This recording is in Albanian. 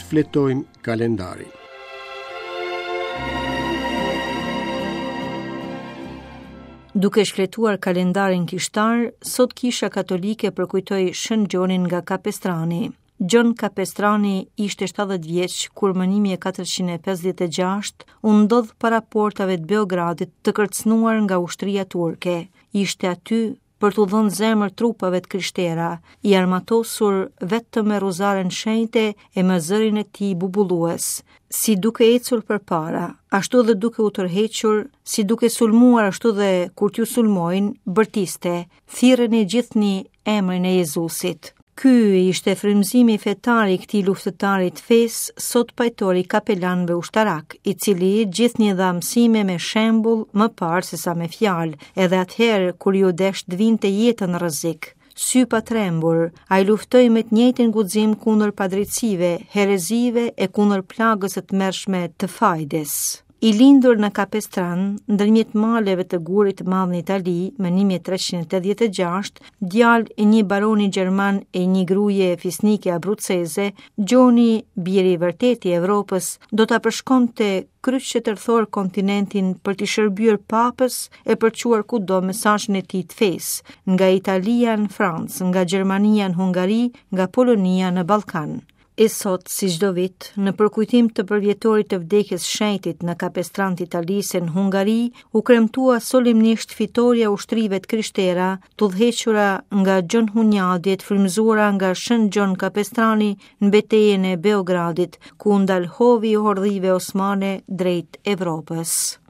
Shfletojmë kalendarin. Duke shfletuar kalendarin kishtar, sot Kisha Katolike përkujtoi Shën Gjonin nga Kapestrani. Gjon Kapestrani ishte 70 vjeç kur më 1456 u ndodh para portave të Beogradit të kërcënuar nga ushtria turke. Ishte aty për t'u dhënë zemër trupave të krishtera, i armatosur vetëm me rozaren shenjte e me zërin e tij bubullues, si duke ecur përpara, ashtu dhe duke u tërhequr, si duke sulmuar ashtu dhe kur t'ju sulmojnë, bërtiste, thirreni gjithnjë emrin e Jezusit. Ky ishte frymëzimi fetar i këtij luftëtari të fesë, sot pajtor i kapelanëve ushtarakë, i cili gjithnjë dha mësime me shembull më parë sesa me fjalë, edhe atëherë kur iu desh të vinte jetën në rrezik. Sypatrembur, ai luftoi me të njëjtin guxim kundër padrejtësive, herezive e kundër plagës së tmerrshme të fajdes. I lindur në Kapestran, ndërmjet maleve të Gurit të Madh në Itali, më 1386, djalë i një baroni gjerman e një gruaje fisnike abruceze, Gjoni, biri i vërtetë i Evropës, do ta përshkonte kryq e tërthor kontinentin për t'i shërbyer papës e për çuar kudo mesazhin e tij të fesë, nga Italia në Francë, nga Gjermania në Hungari, nga Polonia në Ballkan. E sot, si çdo vit, në përkujtim të përvjetorit të vdekjes shenjtit në Kapestran të Italisë e në Hungari, u kremtua solemnisht fitorja e ushtrive të krishtera, të udhëhequra nga Gjon Hunjadi e të frymëzuara nga Shën Gjon Kapestrani në betejën e Beogradit, ku u ndal hovi i hordhive osmane drejt Evropës.